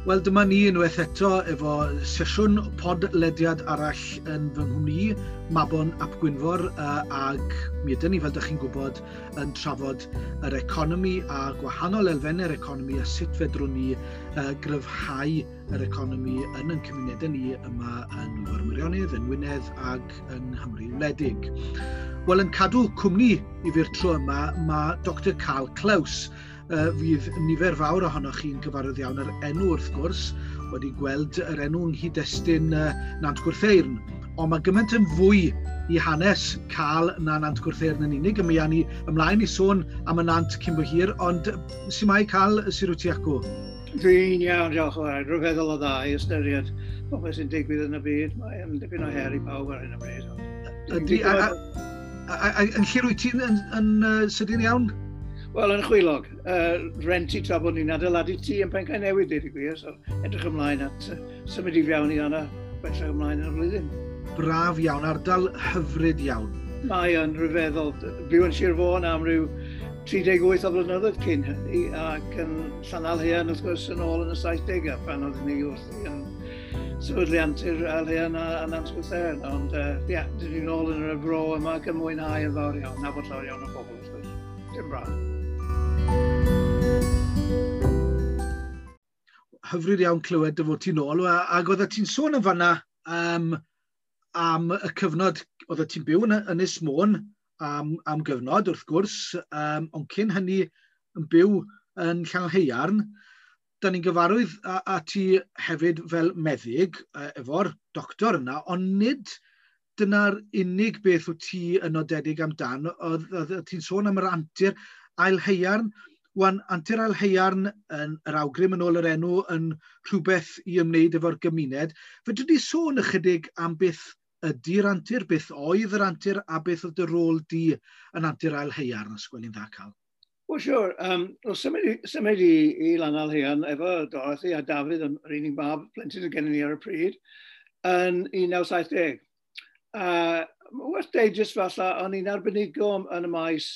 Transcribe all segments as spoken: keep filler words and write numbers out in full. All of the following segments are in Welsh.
Wel, dyma ni unwaith eto efo sesiwn podlediad arall yn fy nghwmni, Mabon ap Gwynfor, uh, ag mi ydyn ni, fel ydych chi'n gwybod, yn trafod yr economi a gwahanol elfennau'r economi a sut fedrwn ni uh, gryfhau yr economi yn ein cymunedau ni yma yn Nwyfor Meirionnydd, yn Wynedd ag yng Nghymru wledig. Wel, yn cadw cwmni i fi'r tro yma, mae Doctor Carl Klaus, Uh, fydd nifer fawr ohonoch chi'n gyfarwydd iawn yr enw wrth gwrs, wedi gweld yr enw yng nghyd-destun uh, Nant Gwrtheyrn. Ond mae gymaint yn fwy i hanes Carl na Nant Gwrtheyrn yn unig, a mi awn ni ymlaen i sôn am y Nant cyn bo hir, ond su mae Carl, sut wyt ti acw? Dwi'n iawn, diolch yn fawr. Rhyfeddol o dda i ystyried popeth sy'n digwydd yn y byd. Mae'n dipyn o her i bawb ar hyn o bryd. Ydy, a, a, a, a, yn lle wyt ti'n yn, yn, yn sydyn iawn? Wel, yn Chwilog, uh, rentu tra bod ni'n adeiladu tŷ yn Pencaenewydd, dweud y gwir, so edrych ymlaen at uh, symud i fewn i yna bellach ymlaen yn y flwyddyn. Braf iawn, ardal hyfryd iawn. Mae yn rhyfeddol. Byw yn Sir Fôn am ryw tri deg wyth o flynyddoedd cyn hynny, ac yn Llanaelhaearn, wrth gwrs, yn ôl yn y saithdegau, pan oeddwn ni wrthi yn sefydlu Antur Aelhaearn a, a Nant Gwrtheyrn. Ond, ie, uh, yeah, dyn ni'n ôl yn y fro yma ac yn mwynhau yn fawr iawn, nabod llawer iawn o bobl, wrth gwrs. Dim braf. Hyfryd iawn clywed dy fod ti'n ôl, ac oeddet ti'n sôn yn fanna um, am y cyfnod oeddet ti'n byw yn Ynys Môn am, am gyfnod, wrth gwrs, um, ond cyn hynny yn byw yn Llanaelhaearn. Da ni'n gyfarwydd a, a ti hefyd fel meddyg efo'r doctor yna, ond nid dyna'r unig beth wyt ti yn nodedig amdan. Oedd, oedd ti'n sôn am yr antur Aelhaearn. Wan, Antur Aelhaearn yn yr awgrym yn ôl yr enw yn rhywbeth i ymwneud efo'r gymuned. Fedri di sôn ychydig am beth ydy'r antur, beth oedd yr antur a beth oedd dy rôl di yn Antur Aelhaearn, os gweli'n dda, Carl? Wel, siwr. Um, well, symud i, symud i, i Lanaelhaearn efo Dorothy a Dafydd, yr unig mab plentyn oedd gennym ni ar y pryd, yn un naw saith deg. Uh, Werth deud jyst falle, o'n i'n arbenigo yn y maes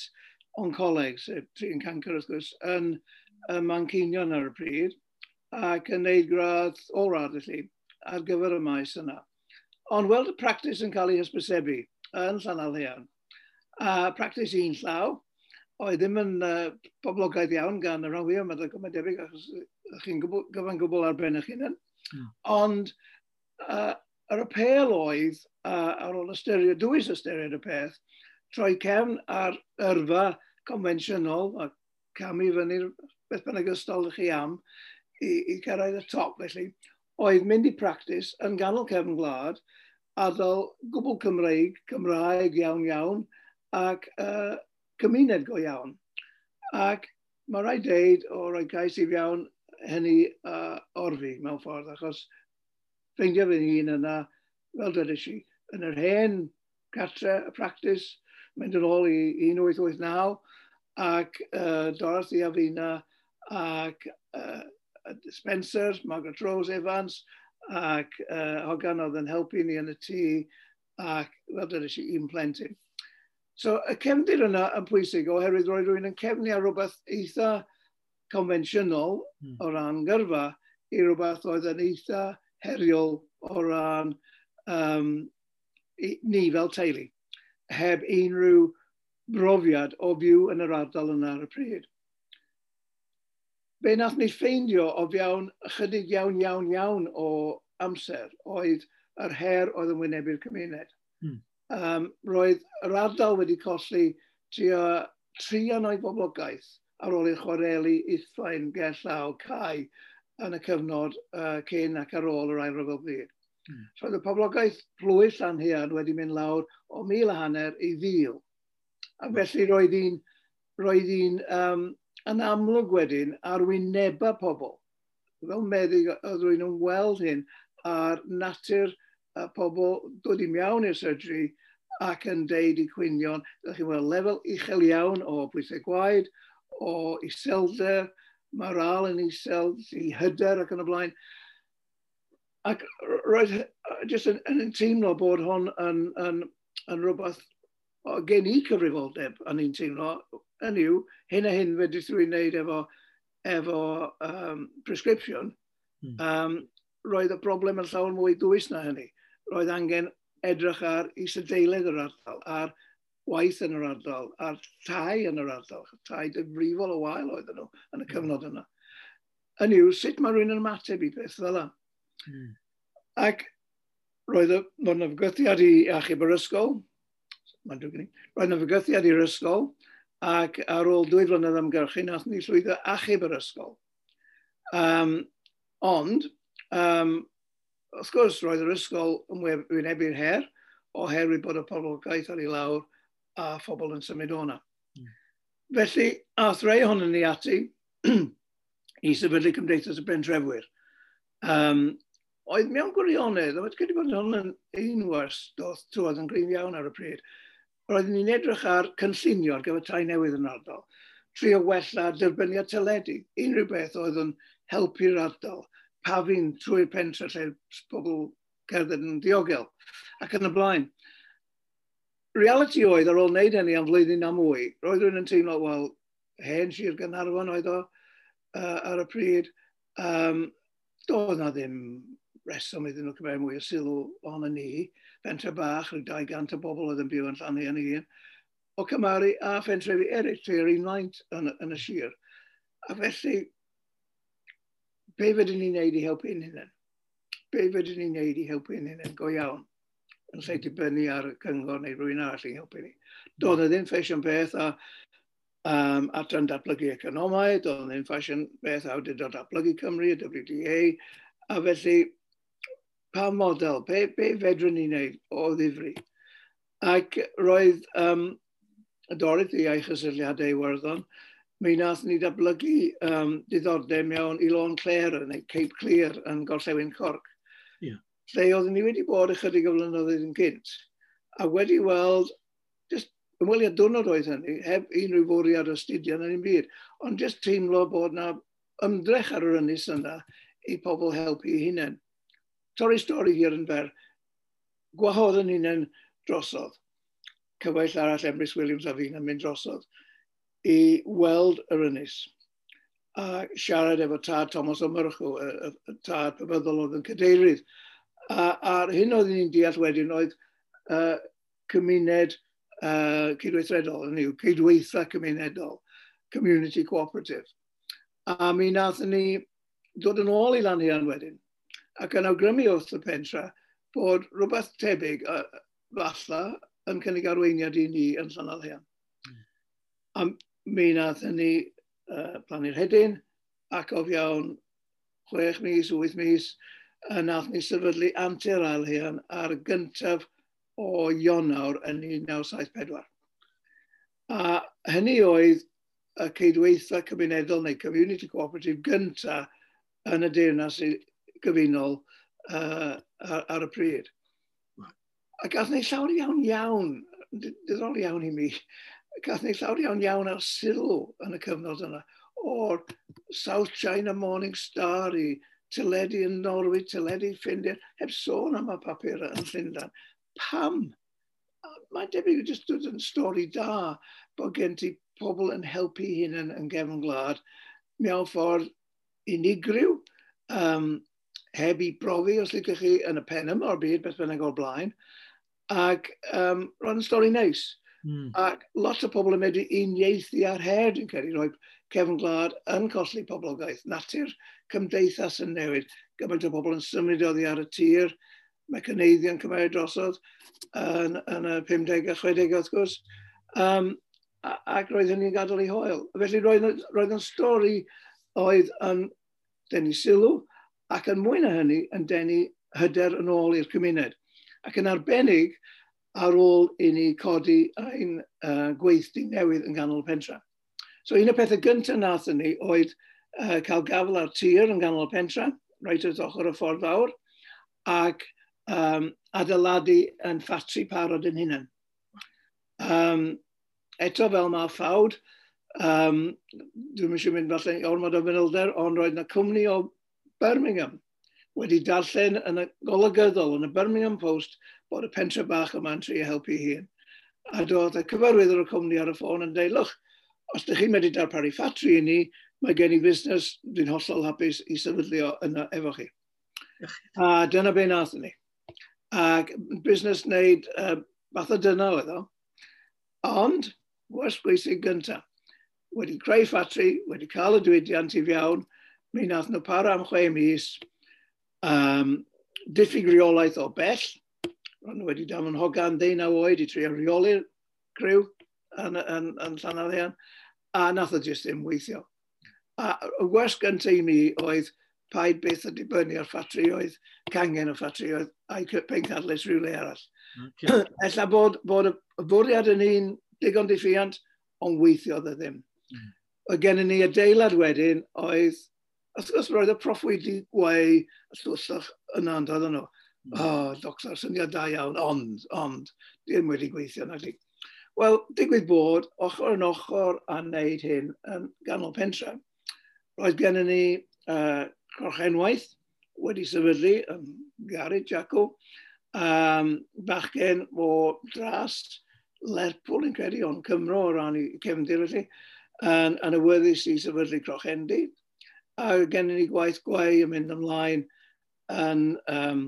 oncoleg, sef trin cancer wrth gwrs, yn, yn Manceinion ar y pryd, ac yn neud gradd, ôl-radd felly, ar gyfer y maes yna. Ond weld y practis yn cael ei hysbysebu yn Llanaelhaearn, a practis un llaw, oedd ddim yn uh, poblogaidd iawn gan y rhan fwyaf, mae'n debyg, achos chi'n gyfan gwbl ar ben eich hunan. Mm. Ond uh, yr apêl oedd, uh, ar ôl ystyried, dwys ystyried y peth, troi cefn ar yrfa confensiynol a camu fyny'r beth bynnag ystol ych chi am i, i cyrraedd y top felly, oedd mynd i practis yn ganol cefn gwlad, ardal gwbl Cymreig, Cymraeg iawn iawn, ac uh, cymuned go iawn. Ac mae rhaid deud o roi cais i fewn hynny uh, orfi mewn ffordd, achos ffeindio fy hun yna, fel dwedes i, yn yr hen cartre, y practis, mynd yn ôl i un wyth wyth naw, ac uh, Dorothy a Fina, ac uh, Spencer, Margaret Rose Evans, ac uh, Hogan oedd yn helpu ni yn y tŷ, ac fel dwedes i, un plentyn. So y cefndir yna yn pwysig oherwydd roedd rhywun yn cefnu ar rhywbeth eitha confensiynol mm. o ran gyrfa i rhywbeth oedd yn eitha heriol o ran um, i, ni fel teulu, heb unrhyw brofiad o fyw yn yr ardal yna ar y pryd. Be nath ni ffeindio o fewn ychydig iawn, iawn, iawn o amser oedd yr her oedd yn wynebu'r cymuned. Mm. Um, roedd yr ardal wedi colli tua trian o'i boblogaeth ar ôl i'r chwareli ithfaen gerllaw cau yn y cyfnod uh, cyn ac ar ôl yr Ail Ryfel Byd. Mm. So oedd y poblogaeth plwyf Llanhaearn wedi mynd lawr o mil a hanner i fil. A felly roedd hi'n roedd hi'n um, yn amlwg wedyn ar wynebau pobl. Fel meddyg oedd rhywun yn weld hyn ar natur y pobl dod i mewn i'r surgery ac yn deud i cwynion. Ydych chi'n weld lefel uchel iawn o bwysau gwaed, o iselder, moral yn isel, i hyder ac yn y blaen. Ac roedd jyst yn, yn teimlo bod hwn yn, yn, yn rhywbeth o gen i cyfrifoldeb, o'n i'n teimlo, yn yw, hyn a hyn fedrith rhywun wneud efo, efo um, prescription, Mm. Um, roedd y broblem yn llawer mwy dwys na hynny. Roedd angen edrych ar isadeiledd yr ardal, ar waith yn yr ardal, a'r tai yn yr ardal. Tai difrifol o wael oedden nhw yn y hmm. cyfnod yna. Yn yw, sut mae rhywun yn ymateb i beth fel yna? Mm. Ac roedd yna fygythiad i achub yr ysgol, mae'n drwg i, roedd yna fygythiad i'r ysgol, ac ar ôl dwy flynedd ymgyrchu, nath ni llwyddo achub yr ysgol. Um, ond, um, wrth gwrs, roedd yr ysgol yn wynebu'r her, oherwydd bod y poblogaeth ar ei lawr a phobl yn symud o'na. Mm. Felly, ath rei ohonon ni ati i sefydlu Cymdeithas y Pentrefwyr. Um, oedd mewn gwirionedd, oedd gyda bod hwn yn un wers doth trwodd yn gryf iawn ar y pryd, roeddwn ni'n edrych ar cynllunio ar gyfer tai newydd yn ardal, trio wella derbyniad teledu, unrhyw beth oedd yn helpu'r ardal, pafin trwy'r pentre lle pobl cerdded yn diogel, ac yn y blaen. Reality oedd, ar ôl wneud hynny am flwyddyn a mwy, roedd rhywun yn teimlo, wel, hen Sir Gaernarfon oedd o uh, ar y pryd, um, doedd na ddim reswm iddyn nhw cymryd mwy o sylw ohono ni. Pentre bach, rhyw dau gant o bobl oedd yn byw yn Llanhaearn ei hun, o cymharu a phentrefi eraill, tua'r un faint yn, yn y sir. A felly, be fydden ni'n neud i helpu ein hunain? Be fydden ni'n neud i helpu ein hunain go iawn? Yn lle dibynnu ar y cyngor neu rhywun arall i helpu ni. Doedd e ddim ffasiwn beth a um, adran datblygu economaidd, doedd e ddim ffasiwn beth awdurdod datblygu Cymru, y W D A, a felly pa model, be, be fedrwn ni wneud o ddifri? Ac roedd um, Dorothy a'i chysylltiadau Iwerddon, mi nath ni datblygu um, diddordeb mewn i Lôn Clere neu Cape Clear yn Gorllewin Cork. Yeah. Lle oeddwn ni wedi bod ychydig o flynyddoedd yn gynt, a wedi weld, just ymweliad diwrnod oedd hynny, heb unrhyw fwriad astudio na ddim byd, ond just teimlo bod na ymdrech ar yr ynys yna i pobl helpu eu hunain. Torri stori hir yn fer, gwahodd yn hunain drosodd. Cyfaill arall Emrys Williams a fi'n mynd drosodd i weld yr ynys a siarad efo tad Thomas O'Murchú, y, y, y tad pabyddol oedd yn cadeirydd. A, a'r hyn oedd ni'n deall wedyn oedd uh, cymuned uh, cydweithredol, hynny yw, cydweitha cymunedol, community cooperative. A mi nathon ni dod yn ôl i Lanhaearn wedyn, ac yn awgrymu wrth y pentra bod rhywbeth tebyg uh, falle yn cynnig arweiniad i ni yn Llanalhean. Mm. A mi nathon ni uh, plannu'r hedyn, ac o fewn chwech mis, wyth mis, uh, nath ni sefydlu Antur Aelhaearn ar gyntaf o Ionawr yn un naw saith pedwar. A hynny oedd y cydweitha cymunedol neu community cooperative gyntaf yn y Deyrnas Gyfunol uh, ar, ar y pryd. A gath ni llawer iawn iawn, diddorol iawn i mi, gath ni llawer iawn iawn ar sylw yn y cyfnod yna, o'r South China Morning Star i teledu yn Norwy, teledu Ffindir, heb sôn am y papur yn Llundain. Pam? Mae'n debyg jyst dod yn stori da bod gen ti pobl yn helpu hunain yn gefn gwlad mewn ffordd unigryw, um, heb i brofi, os licech chi, yn y pen yma o'r byd, beth bynnag o'r blaen. Ac um, roedd yn stori neis. Mm. Ac lot o pobl yn medru uniaethu ar her, dwi'n credu, rhoi cefn gwlad yn colli poblogaeth. Natur cymdeithas yn newid. Gymaint o bobl yn symud oddi ar y tir, mecaneiddio'n cymryd drosodd yn, yn y pumdegau a chwedegau, wrth gwrs. Um, ac roedd hynny'n gadael ei hoel. Felly roedd, roedd yn stori oedd yn denu sylw, ac yn mwy na hynny yn denu hyder yn ôl i'r cymuned. Ac yn arbennig ar ôl i ni codi ein uh, gweithdy newydd yn ganol y pentra. So un o'r pethau gyntaf nathon ni oedd uh, cael gafel ar tir yn ganol y pentra, reit wrth ochr y ffordd fawr, ac um, adeiladu yn ffatri parod yn hunain. Um, eto fel mae ffawd, um, dwi'm eisiau mynd falle i ormod o fanylder, ond roedd yna cwmni o Birmingham wedi darllen yn y golygyddol yn y Birmingham Post bod y pentre bach yma'n trio helpu hun. A doedd y cyfarwyddwr y cwmni ar y ffôn yn dweud, look, os ydych chi'n medru darparu ffatri i ni, Mae gen i fusnes, dwi'n hollol hapus i sefydlu o yna efo chi. A dyna be nathon ni. Ac busnes wneud uh, fath o dyna oedd o. Ond, wers bwysig gyntaf, wedi creu ffatri, wedi cael y diwydiant i fewn, mi nath nhw para am chwe mis, um, diffyg reolaeth o bell, ro'n nhw wedi danfon hogan deunaw oed i trio reoli'r criw yn, yn, yn Llanelian, a nath o jyst ddim weithio. A y wers gyntaf i mi oedd paid byth o dibynnu ar ffatrioedd, cangen o ffatrioedd, a'i pencadlys rhywle arall. Okay. Ella bod, bod y bwriad yn un digon diffuant, ond weithiodd e ddim. Mm. Oedd gennym ni adeilad wedyn oedd, wrth gwrs roedd y proffwydi gweu y llwllach yna yn dod nhw. Mm. O, oh, doctor, syniad da iawn, ond, ond, ddim wedi gweithio nag di. Wel, digwydd bod, ochr yn ochr a wneud hyn yn ganol pentre, roedd gennym ni uh, crochenwaith wedi sefydlu yn Gary Jacko, um, bachgen o dras Lerpwl yn credu, ond Cymro o ran i cefndir felly, yn, yn awyddus i sefydlu crochendi. A gennym ni gwaith gweu yn mynd ymlaen yn, um,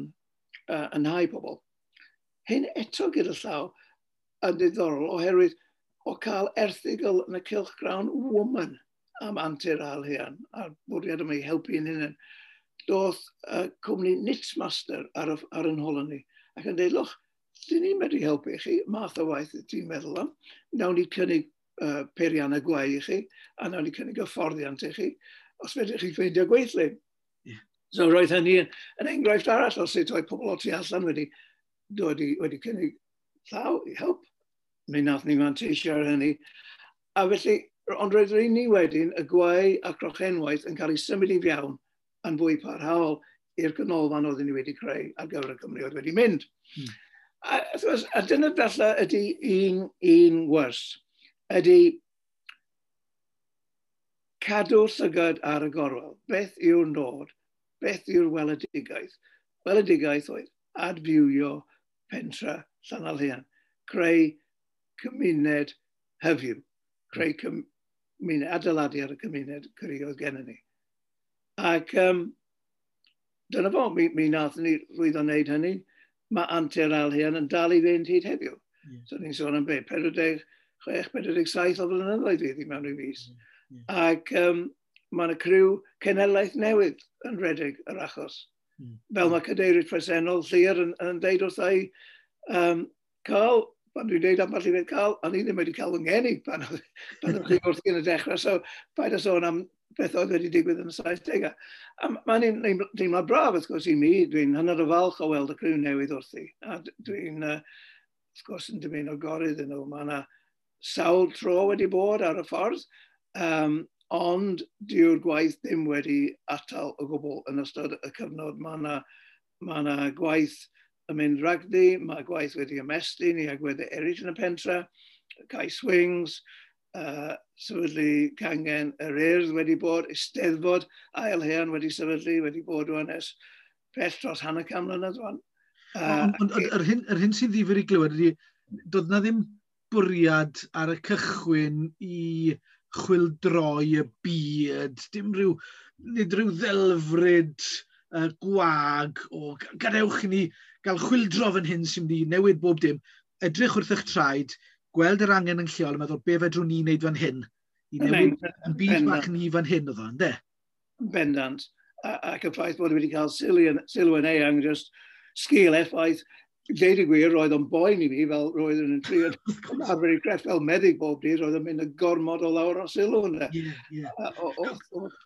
uh, yn hau pobl. Hyn eto gyda llaw yn ddiddorol oherwydd o cael erthygl yn y cylchgrawn Woman am antur Ail-haearn a'r bwriad yma i helpu yn hynny. Doth uh, cwmni Knitmaster ar, y, ar yn hol ni ac yn dweud, look, dyn ni'n medru helpu chi, math o waith ti'n meddwl am, nawn ni cynnig uh, peiriannau gweu i chi, a nawn ni cynnig hyfforddiant i chi, os fedrwch chi ffeindio gweithlu. Yeah. So roedd hynny yn, yn enghraifft arall o sut oedd pobl o tu allan wedi, dod i, wedi cynnig llaw i help. Mi nath ni manteisio ar hynny. A felly, ond roedd yr un ni wedyn, y gweu a crochenwaith yn cael ei symud i fewn yn fwy parhaol i'r ganolfan oedden ni wedi creu ar gyfer y Cymru oedd wedi mynd. Hmm. A, gwrs, a dyna falle ydy un, un wers, ydy cadw llygad ar y gorwel. Beth yw'r nod? Beth yw'r weledigaeth? Weledigaeth oedd adfywio pentra Llanelhaearn, creu cymuned hyfyw, creu cymuned, adeiladu ar y cymuned cry oedd gennym ni. Ac um, dyna fo, mi, mi nathon ni lwyddo wneud hynny. Mae antur Ail-haearn yn dal i fynd hyd heddiw. Yeah. So ni'n sôn am be, pedwar deg chwech, pedwar deg saith o flynyddoedd fydd i mewn i fis. Yeah. Yeah. Ac um, mae yna criw cenhedlaeth newydd yn rhedeg yr achos. Mm. Fel mae cadeirydd presennol Llyr yn, yn deud wrtha i, um, Carl, pan dwi'n deud ambell i beth, Carl, o'n i ddim wedi cael fy ngeni pan oedd pan oedd chi wrthi yn y dechrau, so paid â sôn am beth oedd wedi digwydd yn y saithdegau. A mae'n deimlad braf, wrth gwrs, i mi. Dwi'n hynod o falch o weld y criw newydd wrthi. A dwi'n, uh, wrth gwrs, yn dymuno gorau iddyn nhw. Mae yna sawl tro wedi bod ar y ffordd, um, ond dyw'r gwaith ddim wedi atal o gwbl yn ystod y cyfnod. Mae yna, mae yna gwaith yn mynd rhagddi, mae gwaith wedi ymestyn i agweddau eraill yn y pentra, cae swings, uh, sefydlu cangen yr Urdd wedi bod, Eisteddfod Ail-haearn wedi sefydlu, wedi bod rwan ers pell dros hanner can mlynedd rwan. Uh, ond ond yr hyn, yr hyn sy'n ddifyr i glywed ydy, doedd na ddim bwriad ar y cychwyn i chwyldroi y byd, dim rhyw, nid rhyw ddelfryd uh, gwag o gadewch i ni gael chwyldro fan hyn sy'n mynd i newid bob dim. Edrych wrth eich traed, gweld yr angen yn lleol a meddwl be fedrwn ni wneud fan hyn i newid yn byd bach ni fan hyn oedd o, ynde? Bendant. Ac y ffaith bod wedi cael sylw yn, sylw yn eang, just sgil effaith, deud y gwir, roedd o'n boen i fi, fel roedd yn trio arfer i crefft fel meddyg bob dydd, roedd o'n mynd y gormod o lawr o sylw yna. Yeah, yeah.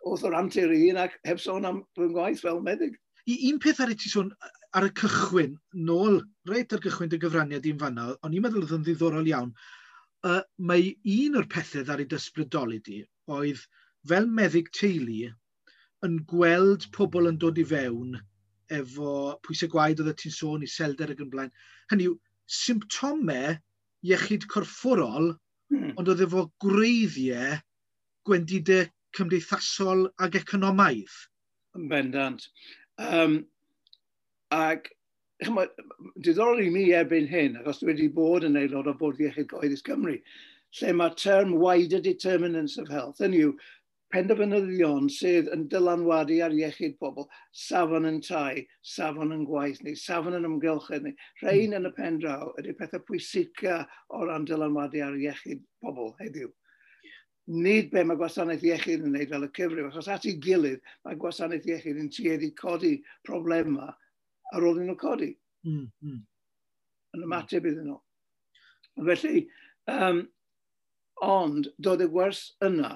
Oedd o'r antur i un ac heb sôn am fy ngwaith fel meddyg. I un peth ar i ti sôn ar y cychwyn, nôl reit ar gychwyn dy gyfraniad i'n fanna, o'n i'n meddwl oedd yn ddiddorol iawn, uh, mae un o'r pethau ar ei dysbrydoli di oedd fel meddyg teulu yn gweld pobl yn dod i fewn efo pwysau gwaed oedd ti'n sôn, iselder ac yn blaen. Hynny yw, symptomau iechyd corfforol, hmm. ond oedd efo gwreiddiau gwendidau cymdeithasol ac economaidd. Yn bendant. Um, ac ch'mod, diddorol i mi erbyn hyn, achos dwi wedi bod yn aelod o Bwrdd Iechyd Cyhoeddus Cymru, lle mae term wider determinants of health, hynny yw, Penderfynyddion sydd yn dylanwadu ar iechyd pobl, safon yn tai, safon yn gwaith ni, safon yn ymgylchedd ni. Rhain mm. yn y pen draw ydy pethau pwysica o ran dylanwadu ar iechyd pobl heddiw. Nid be mae gwasanaeth iechyd yn wneud fel y cyfrif, achos at ei gilydd mae gwasanaeth iechyd yn tueddu codi problemau ar ôl iddyn nhw codi. Mm, mm. Yn ymateb iddyn nhw. Felly, um, ond doedd y gwers yna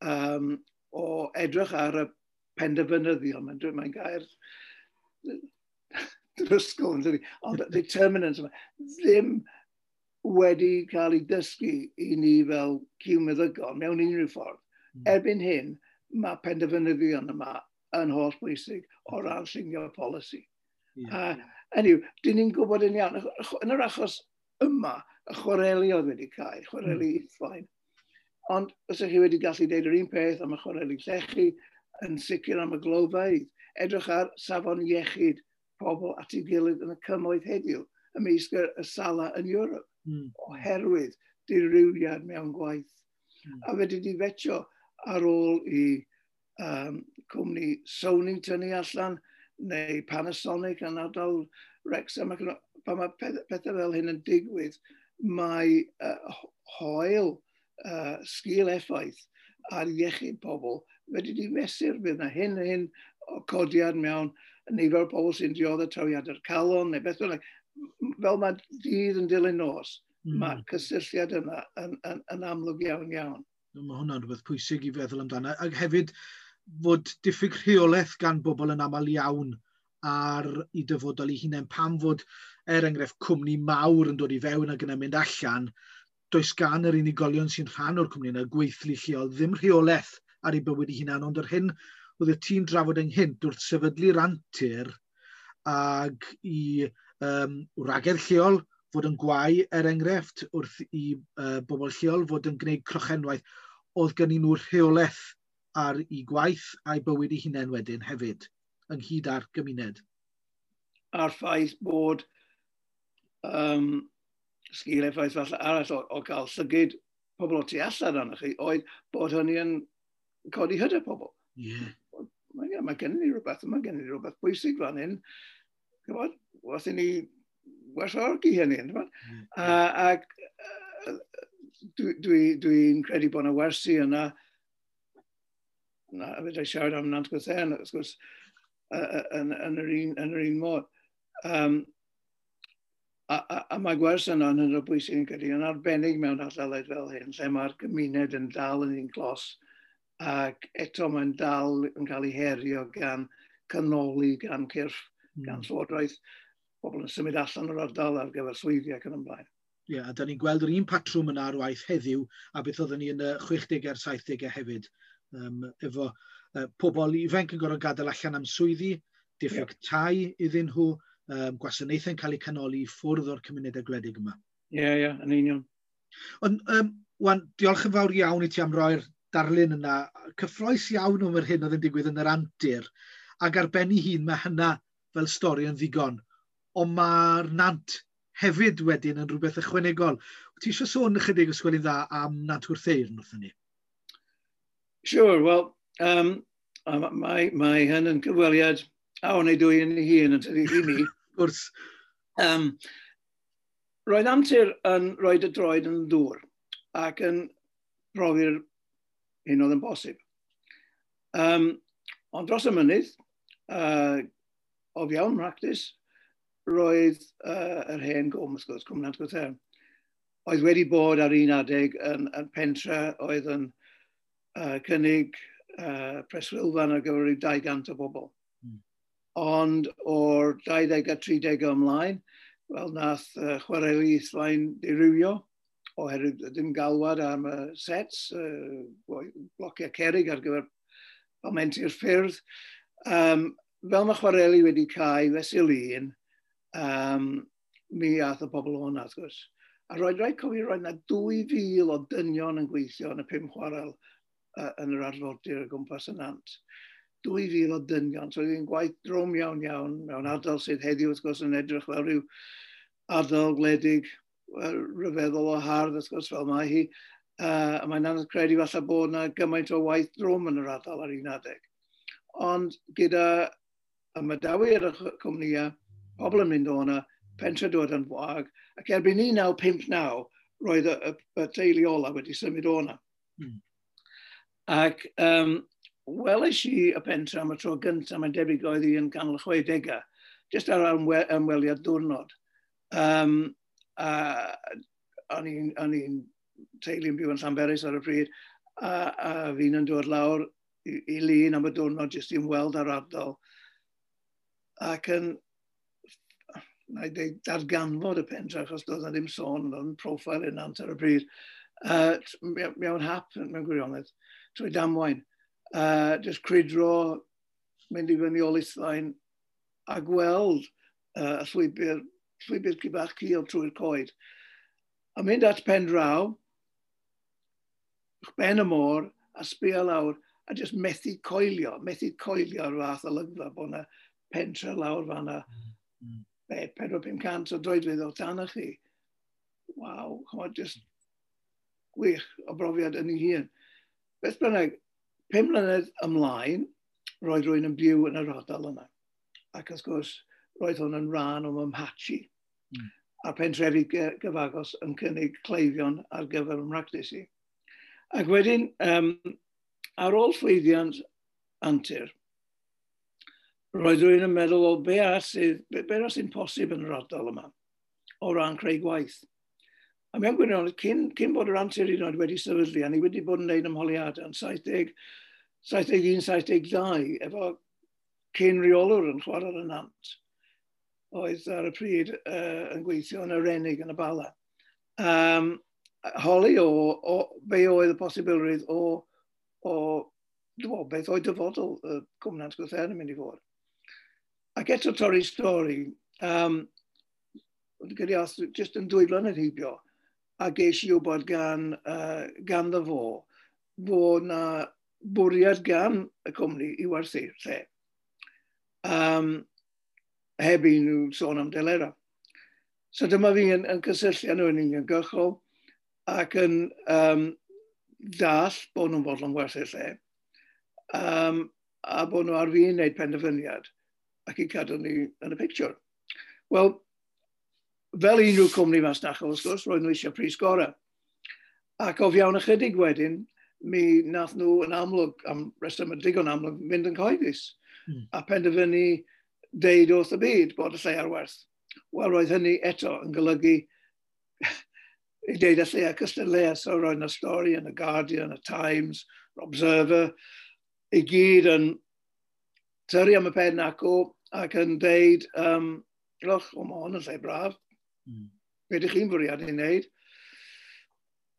um, o edrych ar y penderfynyddion, mae'n mae gair drysgol, yn dydi, ond determinants yma, ddim wedi cael ei dysgu i ni fel ciwmeddygon mewn unrhyw ffordd. Mm. Erbyn hyn, mae penderfynyddion yma yn holl bwysig o ran llunio polisi. Yeah. Uh, anyway, dyn ni'n gwybod yn iawn, yn yr achos yma, y chwareli oedd wedi cael, chwareli mm. Ithfaen. Ond os ydych chi wedi gallu deud yr un peth am y chwareli llechi, yn sicr am y glofeydd, edrych ar safon iechyd pobl at ei gilydd yn y cymoedd heddiw, ymysg y sala yn Ewrop, mm. oherwydd dirywiad mewn gwaith. Mm. A fe wedi fetio ar ôl i um, cwmni Sony tynnu allan, neu Panasonic yn ardal Wrexham, ac pan mae pethau fel hyn yn digwydd, mae uh, hoel uh, sgil effaith ar iechyd pobl wedi di mesur bydd yna hyn a hyn o codiad mewn nifer o pobl sy'n dioddef trawiadau'r calon neu beth bynnag. Fel mae dydd yn dilyn nos, mm. mae'r cysylltiad yna yn, yn, yn amlwg iawn iawn. Mae hwnna'n rhywbeth pwysig i feddwl amdano. Ac hefyd fod diffyg rheolaeth gan bobl yn aml iawn ar i dyfodol eu hunain. Pam fod, er enghraifft, cwmni mawr yn dod i fewn ac yna mynd allan, does gan yr unigolion sy'n rhan o'r cwmni yna, gweithlu lleol, ddim rheolaeth ar ei bywyd ei hunan, ond yr hyn oedd y tîm drafod ynghynt wrth sefydlu'r antur ag i um, wragedd lleol fod yn gwau, er enghraifft, wrth i uh, bobl lleol fod yn gwneud crochenwaith, oedd gen nhw rheolaeth ar ei gwaith a'i bywyd ei hunain wedyn hefyd, ynghyd â'r gymuned. A'r ffaith bod um, sgil effaith falle arall o, o gael llygid pobl o tu allan arnoch chi, oedd bod hynny yn codi hyder pobl. Yeah. Mae, yeah, mae gen i rhywbeth, mae gen i rhywbeth bwysig fan hyn. Ch'mod, wrth i ni werthfawrogi hynny. Yeah. A, ac dwi'n dwi, dwi credu bod yna wersi yna, na, fedra i siarad am Nant Gwrtheyrn, wrth gwrs, yn, yn, yr un, yn yr un modd. Um, a, a, a mae gwers yna yn hynod o bwysig yn credu, yn arbennig mewn ardaloedd fel hyn, lle mae'r gymuned yn dal yn un clos, ac eto mae'n dal yn cael ei herio gan canoli, gan cyrff, mm. gan llywodraeth, pobl yn symud allan o'r ardal ar gyfer swyddi ac yn ymlaen. Ie, yeah, a da ni'n gweld yr un patrwm yna ar waith heddiw, a beth oedden ni yn y chwechdegau a'r saithdegau hefyd, um, efo uh, pobl ifanc yn gorfod gadael allan am swyddi, diffyg yeah. tai iddyn nhw, um, gwasanaethau'n cael eu canoli i ffwrdd o'r cymunedau gwledig yma. Ie, yeah, ie, yeah, yn union. Ond, um, wan, diolch yn fawr iawn i ti am roi'r darlun yna. Cyffrous iawn am yr hyn oedd yn digwydd yn yr antur, ac ar ben ei hun mae hynna fel stori yn ddigon. Ond mae'r nant hefyd wedyn yn rhywbeth ychwanegol. Ti eisiau sôn ychydig os gweli'n dda am Nant Gwrtheyrn wrthyn ni? Sure, wel, um, mae, mae hyn yn cyfweliad a o'n ei dwy yn ei hun yn tydi i mi. Gwrs. Um, roedd antur yn rhoi y droed yn dŵr ac yn profi'r hyn oedd yn bosib. Um, ond dros y mynydd, uh, o fewn practis, roedd uh, yr hen gwm, wrth gwrs, Cwm Nant Gwrtheyrn, oedd wedi bod ar un adeg yn, yn pentre oedd yn uh, cynnig uh, preswylfan ar gyfer rhyw dau gant o bobl. Mm. Ond o'r dau ddeg a tri deg ymlaen, wel, nath uh, chwareli Ithfaen dirywio, oherwydd ddim galwad am y sets, uh, blociau cerig ar gyfer palmentu'r ffyrdd. Um, fel mae chwareli wedi cau fesul un, um, mi ath y pobl o'na, wrth gwrs. A roedd rhaid cofio roedd yna dwy fil o dynion yn gweithio yn y pum chwarel uh, yn yr arfordir o gwmpas y nant. Dwy fil o dynion, so oedd hi'n gwaith drwm iawn iawn mewn ardal sydd heddiw wrth gwrs yn edrych fel rhyw ardal gwledig rhyfeddol o hardd, wrth gwrs, fel mae hi. Uh, a mae'n anodd credu falle bod yna gymaint o waith drwm yn yr ardal ar un adeg. Ond gyda ymadawiad y cwmnïau, pobl yn mynd o yna, pentre dod yn wag, ac erbyn un naw pump naw, roedd y, y, y teulu ola wedi symud o yna. Mm. Ac um, welais i y pentre am y tro gyntaf, mae'n debyg oedd hi yn canol y chwedegau, jyst ar ymwe ymweliad diwrnod. Um, a o'n i'n teulu'n byw yn Llanberis ar y pryd, a, a fi'n yn dod lawr i, i Lŷn am y diwrnod jyst i'n weld ar ardal. Ac yn, na i ddeud, darganfod y pentre, achos doedd na ddim sôn, oedd yn profil yn Nant ar y pryd, uh, mewn hap, mewn gwirionedd, trwy damwain. Uh, jyst crwydro, mynd i fyny o Lithfaen, a gweld uh, y llwybr, llwybr ci bach cul trwy'r coed. A mynd at pen draw, ben y môr, a sbio lawr, a jyst methu coelio, methu coelio ar fath olygfa bod yna pentre lawr fan'na, mm. be, pedwar pum cant o droedfedd o dan chi. Waw, ch'mod, jyst gwych o brofiad yn ei hun. Beth bynnag, pum mlynedd ymlaen, roedd rhywun yn byw yn yr ardal yna. Ac wrth gwrs, roedd hwn yn rhan o mhatch i. Mm. A'r pentrefi gyfagos yn cynnig cleifion ar gyfer ym mhractis i. Ac wedyn, um, ar ôl llwyddiant Antur, roedd rhywun yn meddwl, o be arall sydd, be, be arall sy'n posib yn yr ardal yma o ran creu gwaith. A mewn gwirionedd, cyn, cyn bod yr Antur hyd yn oed wedi sefydlu, a ni wedi bod yn gwneud ymholiadau yn saith deg, saith deg un, saith deg dau, efo cyn reolwr yn chwarae y Nant, oedd ar y pryd uh, yn gweithio yn Arenig yn y Bala. Um, holi o, o be oedd y posibilrwydd o, o dwo, beth oedd dyfodol y Cwm Nant Gwrtheyrn yn mynd i fod. Ac eto torri stori, um, gyda jyst yn dwy flynedd heibio, a ges i wybod gan, uh, ganddo fo, fod na bwriad gan y cwmni i werthu lle. Um, heb i nhw sôn am delera. So dyma fi yn, yn cysylltu â nhw yn uniongyrchol ac yn um, dall bod nhw'n fodlon werthu'r lle, um, a bod nhw ar fin wneud penderfyniad ac i cadw ni yn y picture. Wel, fel unrhyw cwmni masnachol, wrth gwrs, roedd nhw eisiau pris gorau. Ac o fewn ychydig wedyn, mi nath nhw yn amlwg, am reswm digon amlwg, mynd yn cyhoeddus. Mm. A penderfynu deud wrth y byd bod y lle ar werth. Wel, roedd hynny eto yn golygu i deud y lle a cystadleuaeth, so roedd yna stori yn y Guardian, y Times, yr Observer, i gyd yn tyrru am y pen acw ac yn deud, um, loch, o, mae hwn yn lle braf. Mm. Be ydych chi'n fwriadu i wneud?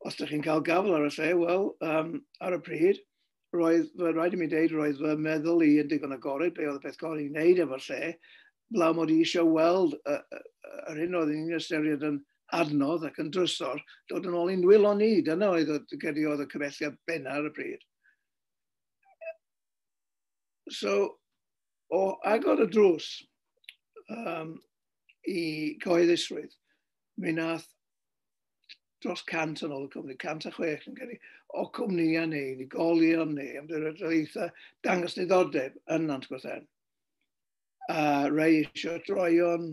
Os ydych chi'n cael gafel ar y lle, wel, um, ar y pryd, roedd, fy rhaid i mi deud, roedd fy meddwl i yn digon agored, be oedd y peth gorau i wneud efo'r lle, blaw mod i eisiau weld yr hyn oedd ni'n ystyried yn adnodd ac yn drysor, dod yn ôl i'n nwylo ni. Dyna oedd, gyda oedd y cymelliad benna ar y pryd. So, o agor y drws um, i cyhoeddusrwydd, mi nath dros cant yn ôl y cwmni, cant a chwech yn credu, o cwmnïau neu unigolion neu ymddiriedolaethau dangos diddordeb yn Nant Gwrtheyrn. A rei eisiau droion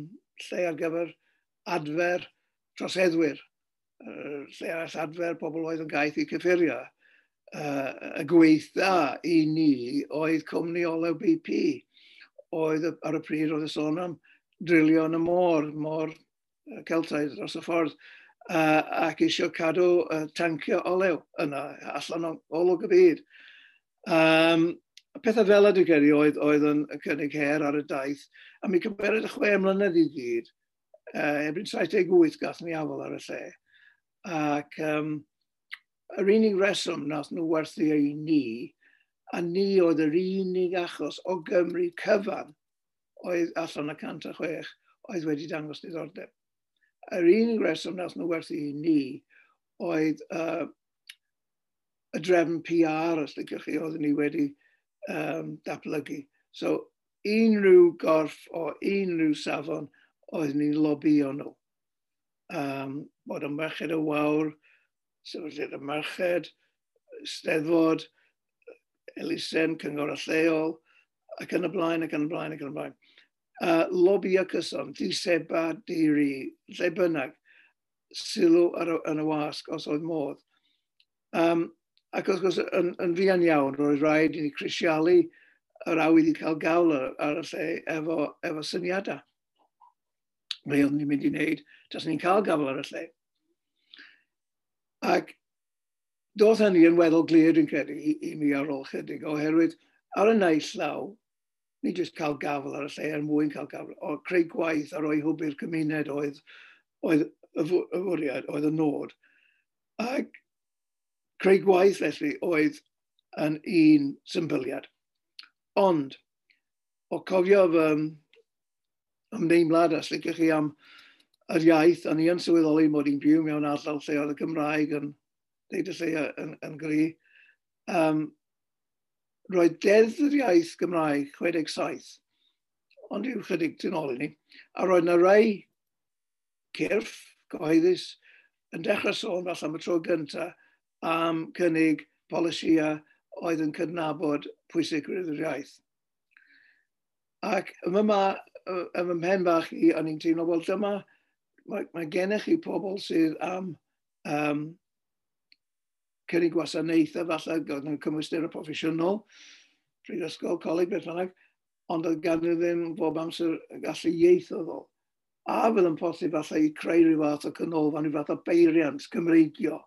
lle ar gyfer adfer troseddwyr, lle arall adfer pobl oedd yn gaeth i cyffuriau. Y gweitha i ni oedd cwmni olew B P, oedd ar y pryd oedd y sôn am drilio yn y môr, môr Celtaidd dros y ffordd, uh, ac eisiau cadw uh, tancio olew yna, allan o olwg y byd. Um, pethau fel ydy credu oedd, oedd yn cynnig her ar y daith, a mi cymeryd y chwe mlynedd i gyd, uh, erbyn saith deg wyth gath ni afel ar y lle. Ac um, yr unig reswm nath nhw werthu i ni, a ni oedd yr unig achos o Gymru cyfan oedd allan y cant a chwech oedd wedi dangos diddordeb. Yr unig reswm nath nhw werthu i ni oedd uh, y drefn P R, os liciwch chi, oeddwn ni wedi um, datblygu. So, unrhyw gorff o unrhyw safon oeddwn ni'n lobio nhw. Um, bod yn Merched y Wawr, Sefydliad y Merched, Steddfod, Elusen, Cyngor y Lleol, ac yn y blaen, ac yn y blaen, ac yn y blaen. Uh, lobio cyson, diseba, diri, lle bynnag, sylw ar y, yn y wasg os oedd modd. Um, ac wrth gwrs, yn, yn fuan iawn, roedd rhaid i ni crisialu yr awydd i cael gawl ar, ar y lle efo, efo syniadau. Be oeddwn ni'n mynd i wneud, tas ni'n cael gafael ar y lle. Ac doedd hynny yn weddol glir, dwi'n credu, i, i mi ar ôl chydig, oherwydd ar y naill law, ni jyst cael gafael ar y lle er mwyn cael gafael, o creu gwaith a roi hwb i'r cymuned oedd, oedd y fwriad, oedd y nod. Ac creu gwaith felly oedd yn un symbyliad. Ond, o cofio fy ymdeimlad, os liciwch chi am yr iaith, a ni yn sylweddoli mod i'n byw mewn ardal lle oedd y Gymraeg yn deud y lle yn, yn gry. Um, roedd Deddf yr Iaith Gymraeg chwe deg saith, ond yw chydig tu nôl i ni, a roedd yna rai cyrff cyhoeddus yn dechrau sôn falle am y tro gyntaf am cynnig polisïau oedd yn cydnabod pwysigrwydd yr iaith. Ac yma, ma, ym mhen bach i, o'n i'n teimlo, wel dyma, mae, mae gennych chi pobl sydd am um, cynnig gwasanaethau falle, gyda cymwysterau proffesiynol, prifysgol, coleg, beth bynnag, ond oedd gan nhw ddim bob amser gallu ieithyddol. A fydd yn posib falle i creu rhyw fath o canolfan, rhyw fath o beiriant Cymreigio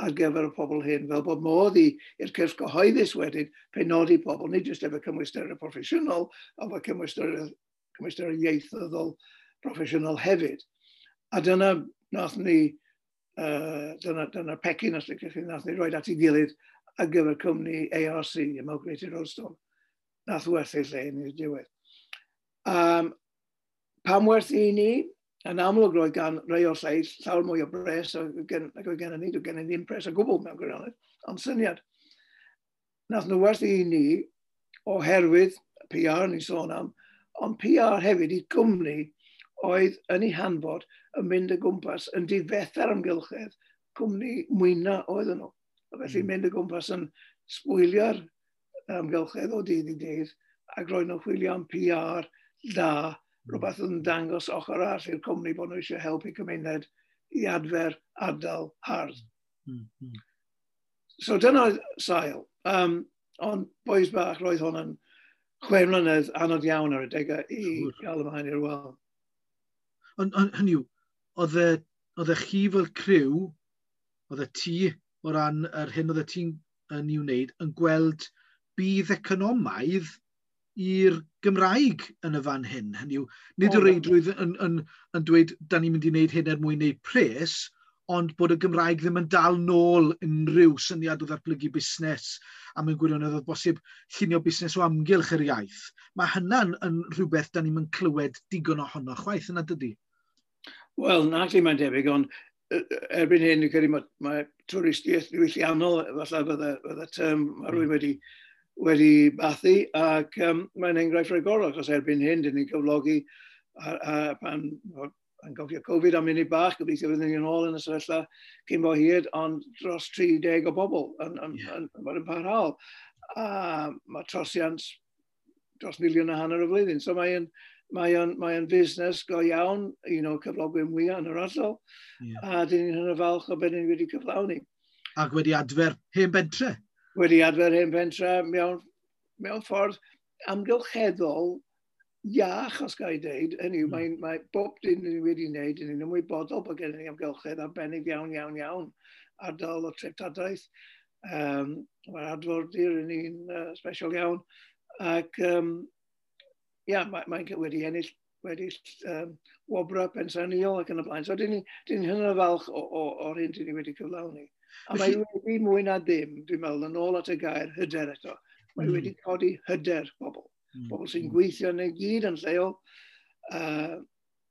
ar gyfer y pobl hyn, fel bod modd i'r cyrff cyhoeddus wedyn penodi pobl, nid jyst efo cymwysterau proffesiynol, ond efo cymwysterau, cymwysterau ieithyddol proffesiynol hefyd. A dyna nath ni, uh, dyna, dyna pecyn, os liciwch chi, nath ni roi at ei gilydd ar gyfer cwmni A R C, Amalgamated Roadstone. Nath werthu lle yn i'r diwedd. Um, pam werthu i ni? Yn amlwg roedd gan rai o'r lleill llawer mwy o bres ac oedd gen ni, doedd gen i ddim pres o gwbl mewn gwirionedd, ond syniad. Nath nhw werthu i ni oherwydd P R ni'n sôn am, ond P R hefyd i gwmni oedd yn ei hanfod yn mynd o gwmpas yn difetha'r amgylchedd, cwmni mwyna oedden nhw. A felly mynd o gwmpas yn sbwylio'r amgylchedd o dydd i dydd ac roedd nhw'n chwilio am P R da, rhywbeth yn dangos ochr arall i'r cwmni bod nhw eisiau helpu cymuned i adfer ardal hardd. Mm, mm. So dyna oedd sail. Um, ond bois bach, roedd hwn yn chwe mlynedd anodd iawn ar adegau i Siŵr. gael ymlaen i'r wal. Ond on, hynny yw, oedd e, oedd e chi fel criw, oedd e ti o ran yr hyn oedd e ti'n yn ei wneud, yn gweld budd economaidd i'r Gymraeg yn y fan hyn. Hynny yw, nid O, o reidrwydd yn, yn, yn dweud, da ni'n mynd i wneud hyn er mwyn wneud pres, ond bod y Gymraeg ddim yn dal nôl unrhyw syniad o ddatblygu busnes, a mewn gwirionedd oedd bosib llunio busnes o amgylch yr iaith. Mae hynna'n yn rhywbeth da ni'n clywed digon ohono chwaith, yna dydy? Wel, na lle mae'n debyg, ond erbyn hyn, dwi'n credu mae, mae twristiaeth ddiwylliannol, falle fydde, fydde term mae rhywun wedi, wedi bathu, ac um, mae'n enghraifft rhagorol, achos erbyn hyn, dyn ni'n cyflogi a, a pan, pan gofio Covid am munud bach, gobeithio fyddwn ni'n ôl yn y sefyllfa cyn bo hir, ond dros tri deg o bobl yn, yn, Ie. yn, yn bod yn parhaol. A mae trosiant dros miliwn a hanner y flwyddyn. So mae'n mae o'n, mae o'n fusnes go iawn, un o'r cyflogwyr mwyaf yn yr ardal, Ie. a dyn ni'n hynod falch o beth ni wedi cyflawni. Ac wedi adfer hen bentre? Wedi adfer hen pentre mewn, mewn ffordd amgylcheddol iach, os ga i ddeud. Hynny yw, Hmm. mae, mae bob dim ni wedi wneud, ni'n ymwybodol bod gennym ni amgylchedd arbennig iawn, iawn, iawn, ardal o treftadaeth. Um, mae'r arfordir yn un uh, special iawn. Ac um, ia, mae, mae'n wedi ennill wedi, um, wobrau pensaernïol ac yn y blaen. So, dyn ni, dyn ni hynod falch o, o, o'r hyn dyn ni wedi cyflawni. A mae Felly wedi mwy na dim, dwi'n meddwl, yn ôl at y gair hyder eto. Mae Mm. wedi codi hyder bobl. Mm. Bobl sy'n gweithio yn ei gyd yn lleol. Uh,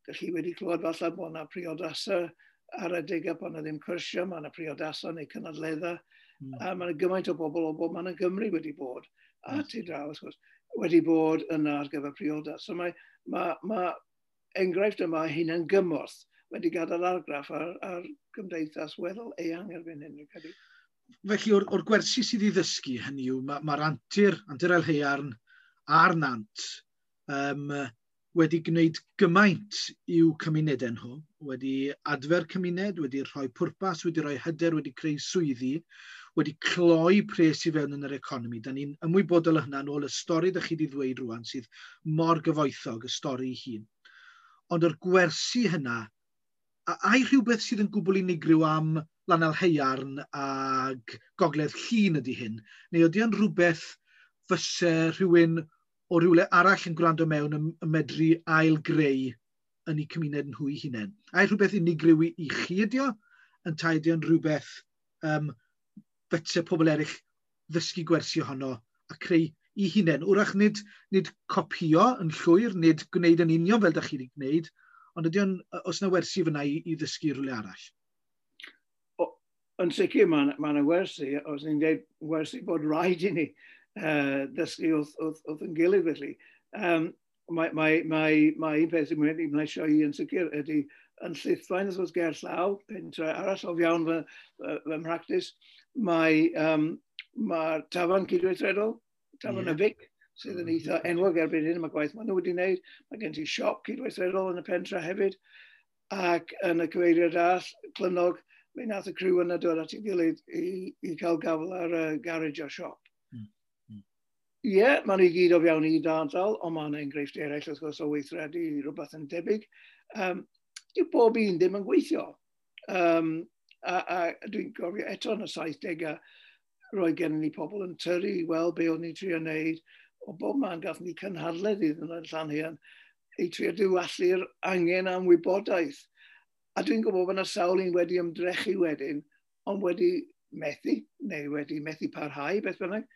Dych chi wedi clywed falle bod yna priodasau ar adegau bod yna ddim cyrsiau, mae yna priodasau neu cynadleddau. Mm. A mae yna gymaint o bobl o bob man yn Gymru wedi bod, a Mm. tu draw, wrth gwrs, wedi bod yna ar gyfer priodas. So mae, mae, mae enghraifft yma hunan gymorth wedi gadael argraff ar, ar gymdeithas weddol eang erbyn hyn, dwi'n credu. Felly, o'r, o'r gwersi sydd i ddysgu, hynny yw, mae'r ma antur, antur Aelhaearn a'r Nant um, wedi gwneud gymaint i'w cymunedau nhw, wedi adfer cymuned, wedi rhoi pwrpas, wedi rhoi hyder, wedi creu swyddi, wedi cloi pres i fewn yn yr economi. Da ni'n ymwybodol o hynna yn ôl y stori ydych chi wedi ddweud rwan, sydd mor gyfoethog, y stori ei hun. Ond yr gwersi hynna, a ai rhywbeth sydd yn gwbl unigryw am Lanaelhaearn ag Gogledd Llŷn ydy hyn, neu ydy o'n rhywbeth fyse rhywun o rywle arall yn gwrando mewn yn, yn medru ail-greu yn eu cymuned nhw eu hunain? Ai rhywbeth unigryw i, i chi ydy o, ynteu ydy o'n rhywbeth um, fyse pobl eraill ddysgu gwersi ohono a creu i hunain? Wrach nid, nid copio yn llwyr, nid gwneud yn union fel da chi wedi gwneud, ond ydy o'n, os yna wersi fyna i, i ddysgu rhywle arall? O, yn sicr mae yna ma wersi, os ni'n dweud wersi bod rhaid i ni uh, ddysgu wrth, wrth, wrth yn gilydd felly. Um, mae, mae, mae, mae un peth sy'n wedi mlesio i yn sicr ydy yn Llithfaen, wrth gwrs ger llaw, pentre arall o fewn fy, fy, fy mhractis, mae um, mae'r tafarn cydweithredol, tafarn yeah. y Vic, sydd yn eitha enwog erbyn hyn, mae gwaith maen nhw wedi wneud. Mae gen ti siop cydweithredol yn y pentre hefyd, ac yn y cyfeiriad arall, Clynnog, mi nath y criw yna dod at ei gilydd i, i cael gafel ar y garej a siop. Ie, mm. yeah, maen nhw i gyd o fewn i ardal, ond mae yna enghreifftiau eraill wrth gwrs o weithredu rhywbeth yn debyg. Um, dyw bob un ddim yn gweithio. Um, a, a dwi'n gofio eto yn y saithdegau, roedd gennym ni pobl yn tyrru i weld be o'n ni'n trio wneud. O bob man gath ni cynhadledd iddyn nhw yn Llanhaearn i trio diwallu'r angen am wybodaeth. A dwi'n gwybod bod yna sawl un wedi ymdrechu wedyn, ond wedi methu, neu wedi methu parhau, beth bynnag.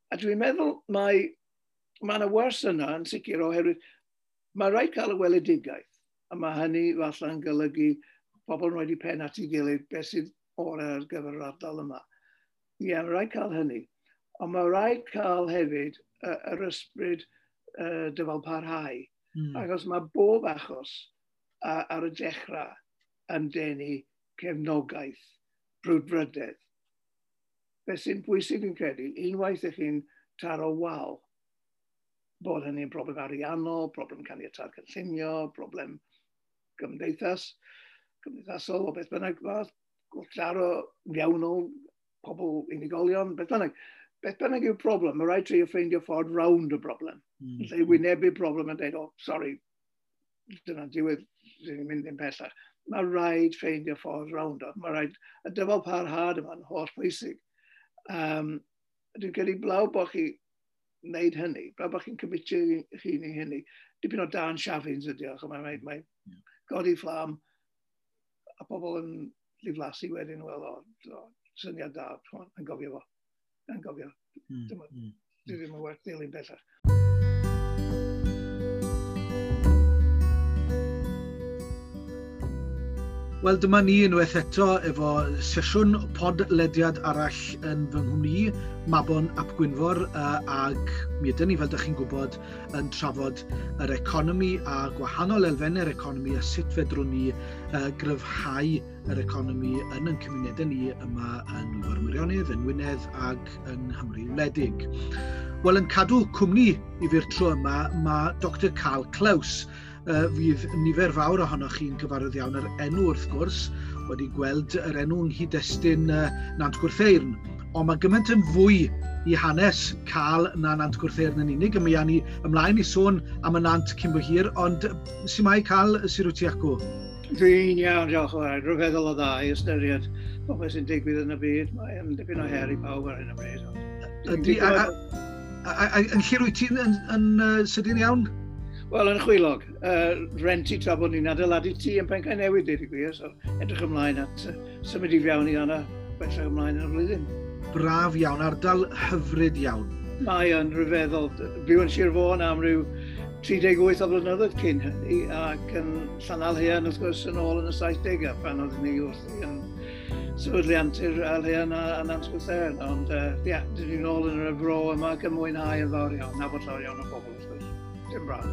A dwi'n meddwl mae, mae yna wers yna yn sicr oherwydd mae rhaid cael y weledigaeth, a mae hynny falle'n golygu pobl yn rhoi pen at ei gilydd beth sydd orau ar gyfer yr ardal yma. Ie, yeah, mae rhaid cael hynny. Ond mae rhaid cael hefyd yr ysbryd uh, dyfal parhau. Mm. Achos mae bob achos a, ar y dechrau yn denu cefnogaeth, brwdfrydedd. Beth sy'n bwysig yn credu, unwaith ych chi'n taro wal, bod hynny'n broblem ariannol, problem caniatâd cynllunio, problem gymdeithas, gymdeithasol o beth bynnag fath, gwrthdaro mewnol, pobl unigolion, beth bynnag. Beth bynnag yw'r problem, mae rhaid trio ffeindio ffordd rownd y broblem. Mm. Lle wynebu'r broblem a dweud, oh, sorry, dyna diwedd, dyn ni'n mynd ddim pellach. Mae rhaid ffeindio ffordd rownd o. Mae rhaid, y dyfal parhad yma'n holl bwysig. Um, dwi'n credu blaw bod chi wneud hynny, blaw bod chi'n cymitio chi'n i hynny. Dipyn o dan siafins ydi o, mae, mae, mae yeah. godi fflam a pobl yn ddiflasu wedyn, wel, o, o, syniad da, yn gofio fo. Yn gofio. Mm, mm, dwi ddim yn werth dilyn bellach. Wel, dyma ni unwaith eto efo sesiwn podlediad arall yn fy nghwmni, Mabon ap Gwynfor, uh, ag mi ydyn ni, fel ydych chi'n gwybod, yn trafod yr economi a gwahanol elfennau'r economi a sut fedrwn ni uh, gryfhau yr economi yn ein cymunedau ni yma yn Nwyfor Meirionnydd, yng Ngwynedd ag yng Nghymru wledig. Wel, yn cadw cwmni i fi'r tro yma, mae Doctor Carl Klaus. Uh, fydd nifer fawr ohonoch chi'n gyfarwydd iawn yr enw wrth gwrs, wedi gweld yr enw yng nghyd-destun uh, Nant Gwrtheyrn. Ond mae gymaint yn fwy i hanes Carl na Nant Gwrtheyrn yn unig, a mi awn ni ymlaen i sôn am y Nant cyn bo hir, ond su' mae Carl, sut wyt ti acw? Dwi'n iawn, diolch yn fawr. Rhyfeddol o dda i ystyried popeth sy'n digwydd yn y byd. Mae'n dipyn o her i pawb ar hyn o bryd. Ydy, a, a, a, a, yn lle rwyt ti'n yn, yn, yn sydyn iawn? Wel, yn Chwilog, uh, renti tra bod ni'n adeiladu tŷ yn Pencae Newydd, dweud y gwir, so edrych ymlaen at uh, symud i fewn i yna bellach ymlaen yn y flwyddyn. Braf iawn, ardal hyfryd iawn. Mae yn rhyfeddol. Byw yn Sir Fôn am ryw tri deg wyth o blynyddoedd cyn hynny, ac yn Llanaelhaearn, wrth gwrs, yn ôl yn y saithdegau, pan oeddwn ni wrthi yn sefydlu Antur Aelhaearn a, a Nant Gwrtheyrn. Ond, ie, uh, yeah, dyn ni'n ôl yn y fro yma ac yn mwynhau yn fawr iawn, nabod llawer iawn o bobl, wrth gwrs. Dim braf.